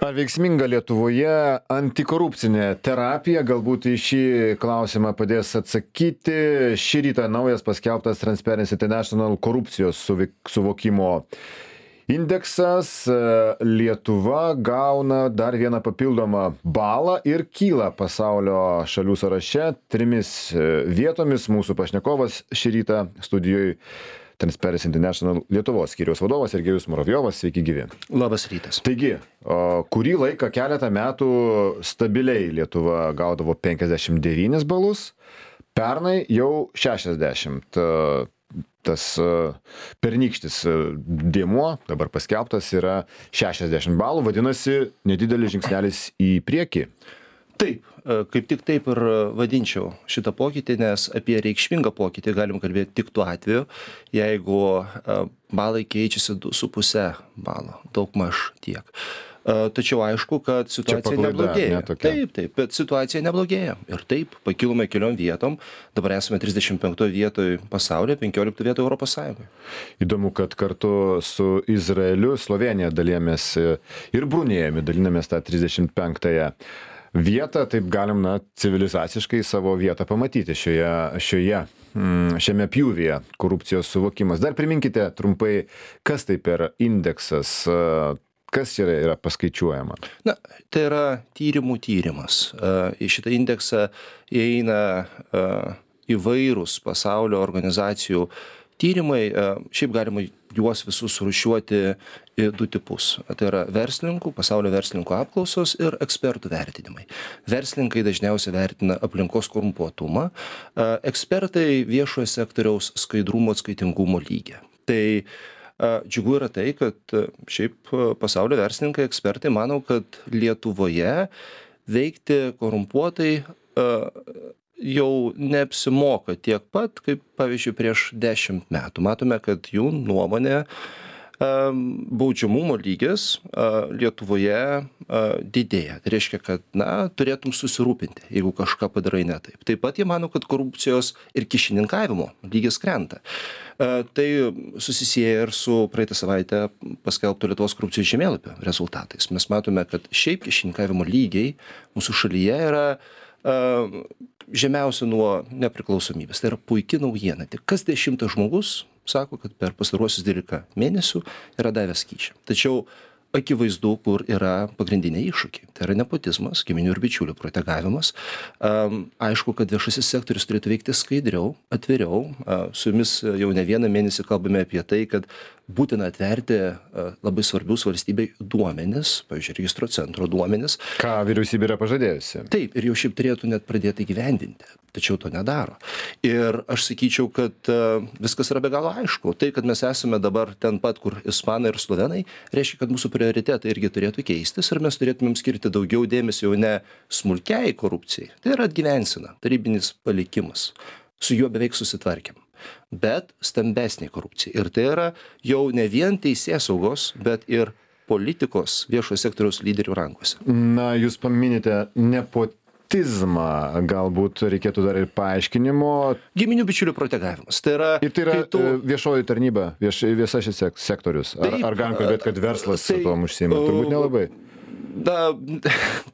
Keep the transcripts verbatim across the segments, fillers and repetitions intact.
Ar veiksminga Lietuvoje antikorupcinė terapija? Galbūt į šį klausimą padės atsakyti šį rytą naujas paskelbtas Transparency International korupcijos suvokimo indeksas. Lietuva gauna dar vieną papildomą balą ir kyla pasaulio šalių sąraše trimis vietomis. Mūsų pašnekovas šį rytą studijoje Transparency International Lietuvos skyriaus vadovas Sergejus Muravjovas. Sveiki gyvi. Labas rytas. Taigi, kurį laiką keletą metų stabiliai Lietuva gaudavo penkiasdešimt devynis balus, pernai jau šešiasdešimt. Tas pernykštis dėmuo, dabar paskelbtas, yra šešiasdešimt balų, vadinasi, nedidelis žingsnelis į priekį. Taip, kaip tik taip ir vadinčiau šitą pokytį, nes apie reikšmingą pokytį galim kalbėti tik tuo atveju, jeigu balai keičiasi du su puse balo, daug maž tiek. Tačiau aišku, kad situacija paklaida, neblogėja. Ne, taip, taip, bet situacija neblogėja. Ir taip, pakilome keliom vietom, dabar esame trisdešimt penktoj vietoj pasaulyje, penkioliktoj vietoj Europos Sąjungoje. Įdomu, kad kartu su Izraeliu, Slovėnija dalėjomės ir Brunėjumi, dalinamės tą trisdešimt penktąją vietą, taip galim, na, civilizaciškai savo vietą pamatyti šioje, šioje, šiame pjūvyje korupcijos suvokimas. Dar priminkite trumpai, kas tai per indeksas, kas čia yra paskaičiuojama? Na, tai yra tyrimų tyrimas. Į šitą indeksą įeina įvairūs pasaulio organizacijų tyrimai, šiaip galima juos visus surūšiuoti į du tipus. Tai yra verslininkų, pasaulio verslininkų apklausos ir ekspertų vertinimai. Verslininkai dažniausiai vertina aplinkos korumpuotumą, ekspertai viešojo sektoriaus skaidrumo atskaitingumo lygį. Tai džiugu yra tai, kad šiaip pasaulio verslininkai, ekspertai mano, kad Lietuvoje veikti korumpuotai jau neapsimoka tiek pat, kaip pavyzdžiui prieš dešimt metų. Matome, kad jų nuomonė baudžiamumo lygis Lietuvoje didėja. Tai reiškia, kad, na, turėtum susirūpinti, jeigu kažką padarai ne taip. Taip pat jie mano, kad korupcijos ir kyšininkavimo lygis krenta. Tai susisieja ir su praeitą savaitę paskelbto Lietuvos korupcijos žemėlapio rezultatais. Mes matome, kad šiaip kyšininkavimo lygiai mūsų šalyje yra žemiausia nuo nepriklausomybės. Tai yra puikia naujiena. Tik kas dešimtas žmogus sako, kad per pastaruosius dvylika mėnesių yra davęs kyšį. Tačiau akivaizdu, kur yra pagrindiniai iššūkiai. Tai yra nepotizmas, giminių ir bičiulių protegavimas. Aišku, kad viešasis sektorius turėtų veikti skaidriau, atviriau. Su jumis jau ne vieną mėnesį kalbame apie tai, kad būtina atverti labai svarbius valstybei duomenis, pavyzdžiui, registro centro duomenis. Ką vyriausybė yra pažadėjusi. Taip, ir jau šiaip turėtų net pradėti įgyvendinti, tačiau to nedaro. Ir aš sakyčiau, kad viskas yra be galo aišku. Tai, kad mes esame dabar ten pat, kur ispanai ir slovenai, reiškia, kad mūsų prioritetai irgi turėtų keistis ir mes turėtumėm skirti daugiau dėmesio jau ne smulkiai korupcijai. Tai yra atgyvensina, tarybinis palikimas. Su juo beveik susitvarkėm. Bet stambesnė korupcija. Ir tai yra jau ne vien teisėsaugos, bet ir politikos viešojo sektoriaus lyderių rankose. Na, jūs paminite nepotizmą, galbūt reikėtų dar ir paaiškinimo. Giminių bičiulių protegavimas. Tai yra, ir tai yra tu... viešoji tarnyba, vieš, viešasis sektorius. Ar, Taip, ar galim kalbėti, kad verslas tai, tuo užsiima? Turbūt nelabai. Na,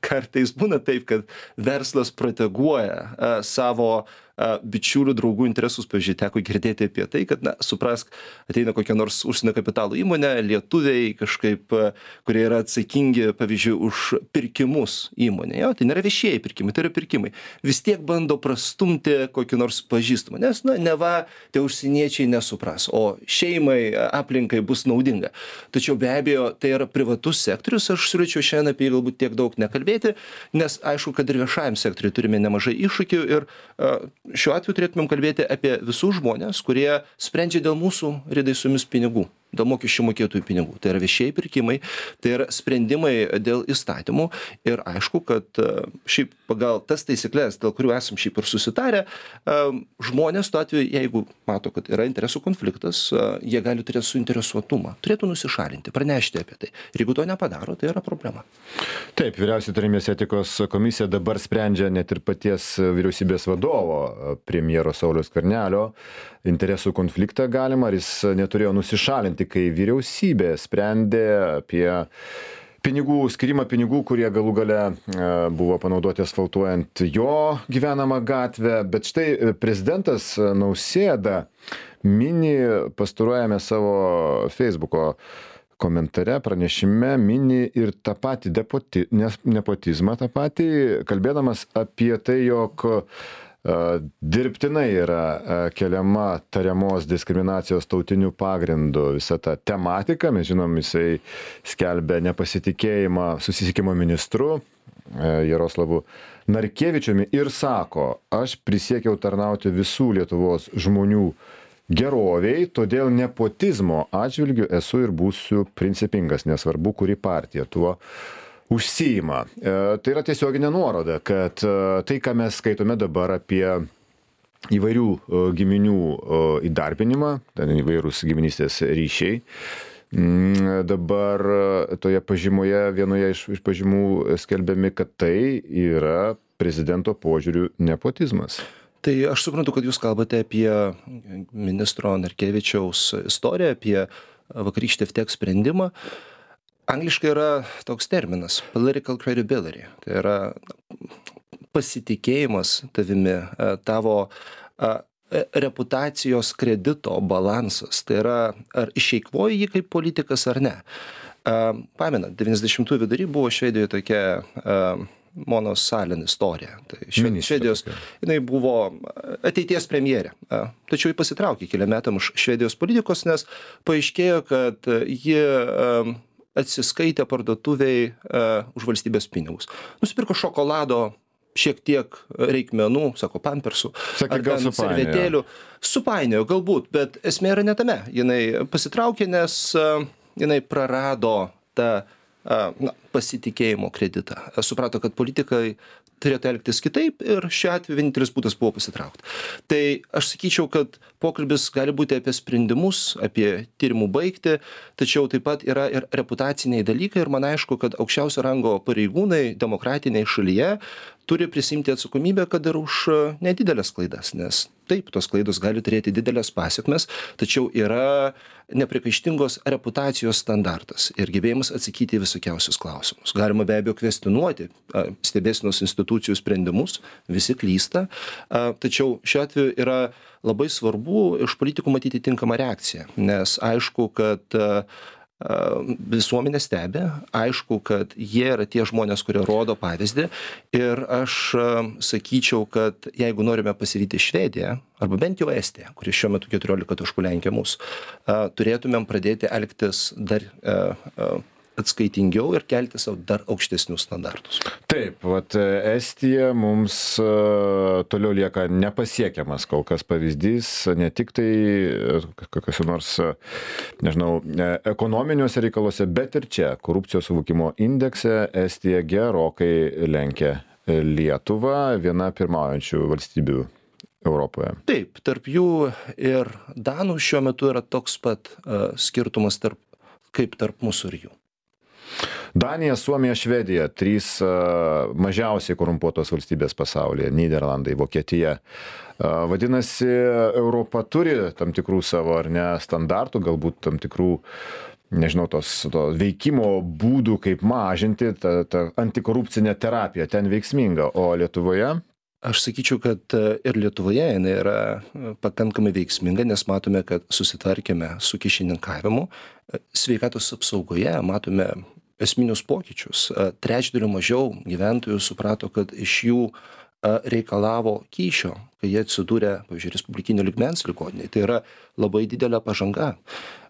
kartais būna taip, kad verslas proteguoja a, savo a, bičiulių, draugų interesus. Pavyzdžiui, teko girdėti apie tai, kad, na, suprask, ateina kokia nors užsienio kapitalo įmonė, lietuviai kažkaip, a, kurie yra atsakingi, pavyzdžiui, už pirkimus įmonėje. Jo, tai nėra viešieji pirkimai, tai yra pirkimai. Vis tiek bando prastumti kokį nors pažįstamą, nes, na, neva tie užsieniečiai nesupras, o šeimai, aplinkai bus naudinga. Tačiau be abejo, tai yra privatus sektorius, aš siūlyčiau šiandien apie galbūt tiek daug nekalbėti, nes aišku, kad ir viešajam sektoriui turime nemažai iššūkių ir uh, šiuo atveju turėtumėm kalbėti apie visus žmonės, kurie sprendžia dėl mūsų ridai su jumis pinigų, dėl mokesčių mokėtojų pinigų. Tai yra viešieji pirkimai, tai yra sprendimai dėl įstatymų ir aišku, kad uh, šiaip pagal tas taisyklės, dėl kurių esam šiaip ir susitarę, uh, žmonės tuo atveju, jeigu mato, kad yra interesų konfliktas, uh, jie gali turėti suinteresuotumą, turėtų nusišalinti, pranešti apie tai. Ir jeigu to nepadaro, tai yra problema. Taip, vyriausioji tarnybos etikos komisija dabar sprendžia net ir paties vyriausybės vadovo, premjero Sauliaus Skvernelio, interesų konfliktą galimą, ar jis neturėjo nusišalinti, kai vyriausybė sprendė apie pinigų, skirimą pinigų, kurie galų gale buvo panaudoti asfaltuojant jo gyvenamą gatvę. Bet štai prezidentas Nausėda mini pastaruojame savo Facebooko komentare, pranešime, mini ir tą patį depoti, nepotizmą, tą patį, kalbėdamas apie tai, jog dirbtinai yra keliama tariamos diskriminacijos tautiniu pagrindu visa ta tematika. Mes žinom, jisai skelbia nepasitikėjimą susisiekimo ministru Jaroslavu Narkevičiumi ir sako, aš prisiekiau tarnauti visų Lietuvos žmonių geroviai, todėl nepotizmo atžvilgiu esu ir būsiu principingas, nesvarbu, kuri partija tuo užsiima. E, tai yra tiesioginė nuoroda, kad e, tai, ką mes skaitome dabar apie įvairių e, giminių e, įdarbinimą, ten įvairūs giminystės ryšiai, m, dabar e, toje pažymoje, vienoje iš, iš pažymų skelbiami, kad tai yra prezidento požiūrių nepotizmas. Tai aš suprantu, kad jūs kalbate apie ministro Narkevičiaus istoriją, apie vakarykštį F T E C sprendimą. Angliškai yra toks terminas political credibility. Tai yra pasitikėjimas tavimi, tavo reputacijos kredito balansas. Tai yra, ar išeikvoji jį kaip politikas ar ne. Pamenat, devyniasdešimtųjų vidury buvo Švedijoje tokia Monos Salin istorija. Tai Švedijos, jinai buvo ateities premjerė. Tačiau ji pasitraukė keliam metam iš Švedijos politikos, nes paaiškėjo, kad ji atsiskaitė parduotuviai uh, už valstybės pinigus. Nusipirko šokolado, šiek tiek reikmenų, sako, pampersų, Sakė, ar ten servetėlių. Supainiojo galbūt, bet esmė yra ne tame. Jinai pasitraukė, nes uh, jinai prarado tą uh, na, pasitikėjimo kreditą. Suprato, kad politikai turėtų elgtis kitaip ir šiuo atveju vienintelis būdas buvo pasitraukti. Tai aš sakyčiau, kad pokalbis gali būti apie sprendimus, apie tyrimų baigtį, tačiau taip pat yra ir reputaciniai dalykai ir man aišku, kad aukščiausio rango pareigūnai demokratiniai šalyje turi prisimti atsakomybę, kad ir už nedidelės klaidas, nes taip, tos klaidos gali turėti didelės pasiekmes, tačiau yra neprikaištingos reputacijos standartas ir gebėjimas atsakyti į visokiausius klausimus. Galima be abejo kvestionuoti stebėsenos institucijų sprendimus, visi klysta, tačiau šiuo atveju yra labai svarbu iš politikų matyti tinkamą reakciją, nes aišku, kad visuomenė stebi, aišku, kad jie yra tie žmonės, kurie rodo pavyzdį ir aš sakyčiau, kad jeigu norime pasivyti Švediją, arba bent jau Estiją, kuri šiuo metu keturiolika taškų lenkia mus, turėtumėm pradėti elgtis dar atskaitingiau ir kelti savo dar aukštesnius standartus. Taip, vat Estija mums uh, toliau lieka nepasiekiamas kol kas pavyzdys, ne tik tai kokios nors, nežinau, ekonominiuose reikaluose, bet ir čia korupcijos suvokimo indekse Estija gerokai lenkia Lietuvą, viena pirmaujančių valstybių Europoje. Taip, tarp jų ir Danų šiuo metu yra toks pat uh, skirtumas tarp, kaip tarp mūsų ir jų. Danija, Suomija, Švedija, trys uh, mažiausiai korumpuotos valstybės pasaulyje, Nyderlandai, Vokietija. Uh, vadinasi, Europa turi tam tikrų savo ar ne standartų, galbūt tam tikrų, nežinau, tos, to veikimo būdų, kaip mažinti tą, tą antikorupcinę terapiją, ten veiksminga, o Lietuvoje? Aš sakyčiau, kad ir Lietuvoje jinai yra pakankamai veiksminga, nes matome, kad susitvarkėme su kyšininkavimu. Sveikatos apsaugoje matome esminius pokyčius. Trečdaliu mažiau gyventojų suprato, kad iš jų reikalavo kyšio, kai jie atsidūrė, pavyzdžiui, respublikinio lygmens ligoninėje. Tai yra labai didelė pažanga.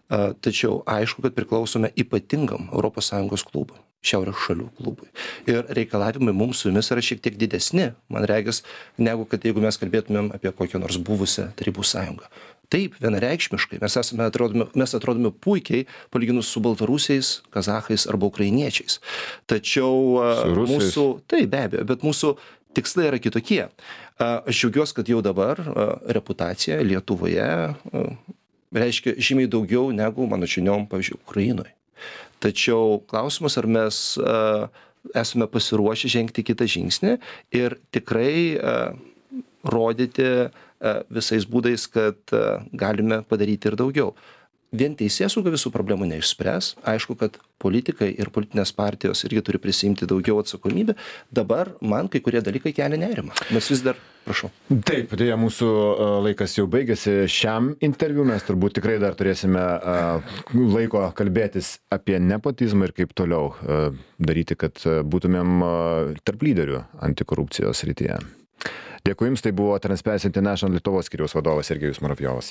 Tačiau aišku, kad priklausome ypatingam Europos Sąjungos klubui, šiaurės šalių klubui. Ir reikalavimai mums su jumis yra šiek tiek didesni, man regis, negu kad jeigu mes kalbėtumėm apie kokią nors buvusią Tarybų sąjungą. Taip, vienareikšmiškai, mes, esame, atrodome, mes atrodome puikiai, palyginus su baltarusiais, kazachais arba ukrainiečiais. Tačiau mūsų, taip, be abejo, bet mūsų tikslai yra kitokie. Aš džiaugiuosi, kad jau dabar reputacija Lietuvoje reiškia žymiai daugiau negu, mano žiniom, pavyzdžiui, Ukrainoje. Tačiau klausimas, ar mes uh, esame pasiruošę žengti kitą žingsnį ir tikrai uh, rodyti uh, visais būdais, kad uh, galime padaryti ir daugiau. vien teisėsauga visų problemų neišspręs. Aišku, kad politikai ir politinės partijos irgi turi prisiimti daugiau atsakomybę. Dabar man kai kurie dalykai kelia nerimą. Mes vis dar, prašau. Taip, dėja, mūsų a, laikas jau baigėsi šiam interviu. Mes turbūt tikrai dar turėsime a, laiko kalbėtis apie nepotizmą ir kaip toliau a, daryti, kad a, būtumėm a, tarp lyderių antikorupcijos srityje. Dėkui Jums, tai buvo Transparency International Lietuvos skyriaus vadovas Sergejus Muravjovas.